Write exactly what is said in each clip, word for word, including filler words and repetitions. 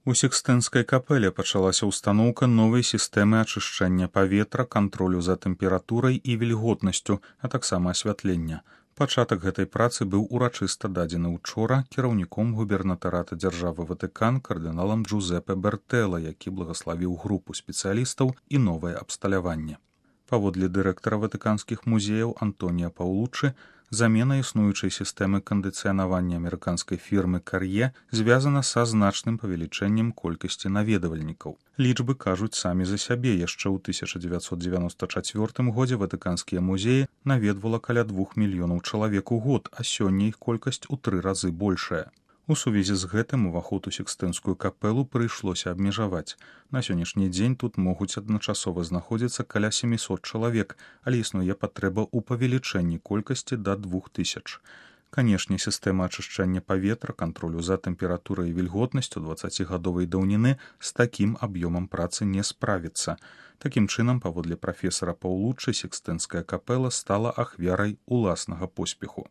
У Сікстынскай капэле пачалася ўстаноўка новай сістэмы ачышчэння паветра, кантролю за тэмпературай і вільготнасцю, а таксама асвятлення. Пачатак гэтай працы быў урачыста дадзены ўчора кіраўніком губернатарата дзяржавы Ватыкан кардыналам Джузепе Бертэла, які благаславіў групу спецыялістаў і новае абсталяванне. Паводле дырэктара ватыканскіх музеяў Антонія Паулуччы, замена існуючай сістэмы кандыцыянавання амерыканскай фірмы «Кар'е» звязана са значным павелічэннем колькасці наведвальнікаў. Лічбы кажуць самі за сябе. Яшчэ ў тысяча дзевяцьсот дзевяноста чацвёртым годзе ватыканскія музеі наведвала каля двух мільёнаў чалавек у год, а сёння іх колькасць у тры разы большая. У сувязі з гэтым уваход у Сікстынскую капэлу прыйшлося абмежаваць. На сённяшні дзень тут могуць адначасова знаходзіцца каля сямісот чалавек, але існуе патрэба ў павелічэнні колькасці да двух тысяч. Канешне, сістэма ачышчэння паветра, кантролю за тэмпературай і вільготнасцю дваццацігадовай даўніны з такім аб'ёмам працы не справіцца. Такім чынам, паводле прафесара Паулуччы, Сікстынская капэла стала ахвярай уласнага поспеху.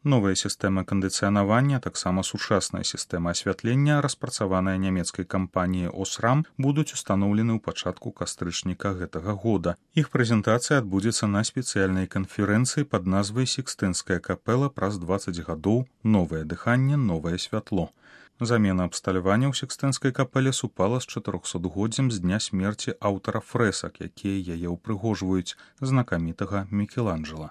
Новая сістэма кандыцыянавання, таксама сучасная сістэма асвятлення, распрацаваная нямецкай кампаніяй «Осрам», будуць устаноўлены ў пачатку кастрычніка гэтага года. Іх прэзентацыя адбудзецца на спецыяльнай канферэнцыі пад назвай «Сікстынская капэла праз дваццаць гадоў. Новае дыханне, новае святло». Замена абсталявання ў Сікстынскай капэле супала з чатырохсотгоддзям з дня смерці аўтара фрэсак, якія яе ўпрыгожваюць, знакамітага Мікеланджэла.